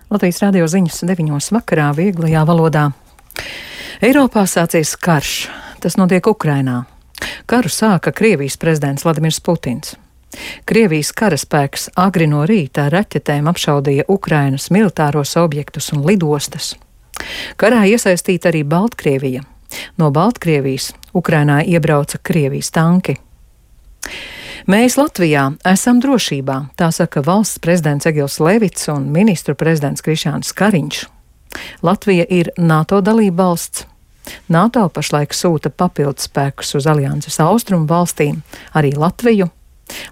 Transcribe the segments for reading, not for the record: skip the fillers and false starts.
Latvijas radio ziņas 9 vakarā vieglajā valodā. Eiropā sācies karš. Tas notiek Ukrainā. Karu sāka Krievijas prezidents Vladimirs Putins. Krievijas karaspēks agri no rīta ar raķetēm apšaudīja Ukrainas militāros objektus un lidostas. Karā iesaistīta arī Baltkrievija. No Baltkrievijas Ukrainā iebrauca Krievijas tanki. Mēs Latvijā esam drošībā, tā saka valsts prezidents Egils Levits un ministru prezidents Krišjāns Kariņš. Latvija ir NATO dalībvalsts. NATO pašlaik sūta papildus spēkus uz alianses austrumu valstīm, arī Latviju.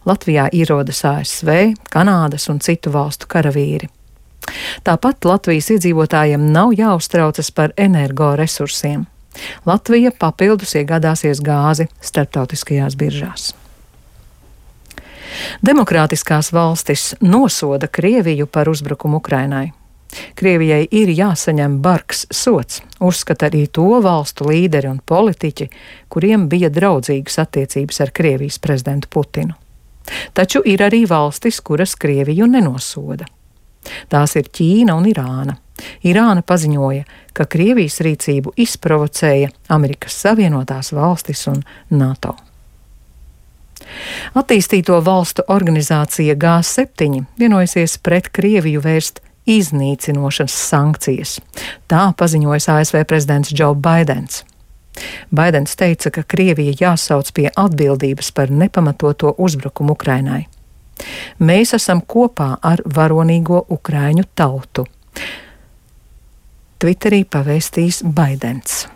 Latvijā ierodas ASV, Kanādas un citu valstu karavīri. Tāpat Latvijas iedzīvotājiem nav jāuztraucas par energoresursiem. Latvija papildus iegādāsies gāzi starptautiskajās biržās. Demokrātiskās valstis nosoda Krieviju par uzbrukumu Ukrainai. Krievijai ir jāsaņem bargs sods, uzskata arī to valstu līderi un politiķi, kuriem bija draudzīgas attiecības ar Krievijas prezidentu Putinu. Taču ir arī valstis, kuras Krieviju nenosoda. Tās ir Ķīna un Irāna. Irāna paziņoja, ka Krievijas rīcību izprovocēja Amerikas Savienotās valstis un NATO. Attīstīto valstu organizācija G7 vienojusies pret Krieviju vērst iznīcinošas sankcijas. Tā paziņoja ASV prezidents Džo Baidens. Baidens teica, ka Krievija jāsauc pie atbildības par nepamatoto uzbrukumu Ukrainai. Mēs esam kopā ar varonīgo ukraiņu tautu. Twitterī pavēstīs Baidens.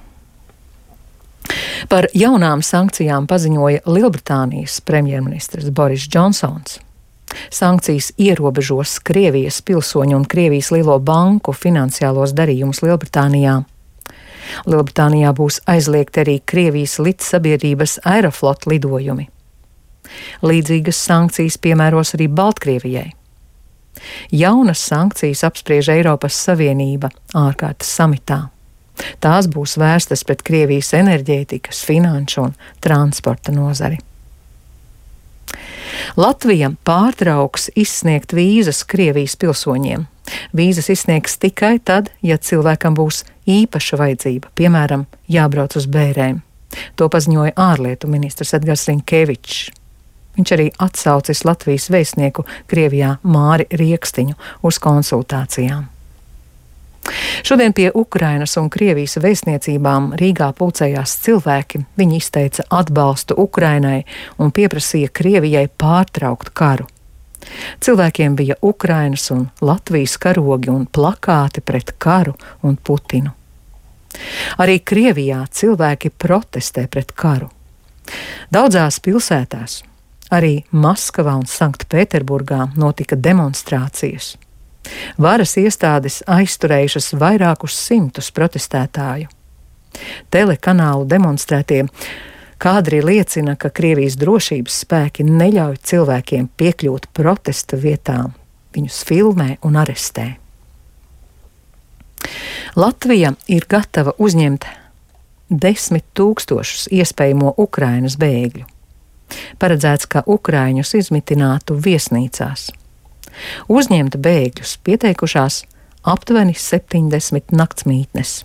Par jaunām sankcijām paziņoja Lielbritānijas premjerministrs Boris Džonsons. Sankcijas ierobežos Krievijas pilsoņu un Krievijas lielo banku finansiālos darījumus Lielbritānijā. Lielbritānijā būs aizliegti arī Krievijas lidsabiedrības Aeroflot lidojumi. Līdzīgas sankcijas piemēros arī Baltkrievijai. Jaunas sankcijas apspriež Eiropas Savienība ārkārtas samitā. Tās būs vērstas pret Krievijas enerģētikas, finanšu un transporta nozari. Latvija pārtrauks izsniegt vīzas Krievijas pilsoņiem. Vīzas izsniegs tikai tad, ja cilvēkam būs īpaša vajadzība, piemēram, jābrauc uz bērēm. To paziņoja ārlietu ministrs Edgars Rinkevičs. Viņš arī atsaucis Latvijas vēstnieku Krievijā Māri Riekstiņu uz konsultācijām. Šodien pie Ukrainas un Krievijas vēstniecībām Rīgā pulcējās cilvēki. Viņi izteica atbalstu Ukrainai un pieprasīja Krievijai pārtraukt karu. Cilvēkiem bija Ukrainas un Latvijas karogi un plakāti pret karu un Putinu. Arī Krievijā cilvēki protestē pret karu. Daudzās pilsētās, arī Maskavā un Sanktpēterburgā notika demonstrācijas. Varas iestādes aizturējušas vairākus simtus protestētāju. Telekanālu demonstrētie kadri liecina, ka Krievijas drošības spēki neļauj cilvēkiem piekļūt protesta vietām. Viņus filmē un arestē. Latvija ir gatava uzņemt 10 000 iespējamo Ukrainas bēgļu. Paredzēts, ka ukraiņus izmitinātu viesnīcās. Uzņemt bēgļus pieteikušās aptuveni 70 naktsmītnes.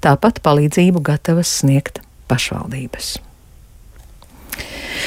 Tāpat palīdzību gatavas sniegt pašvaldības.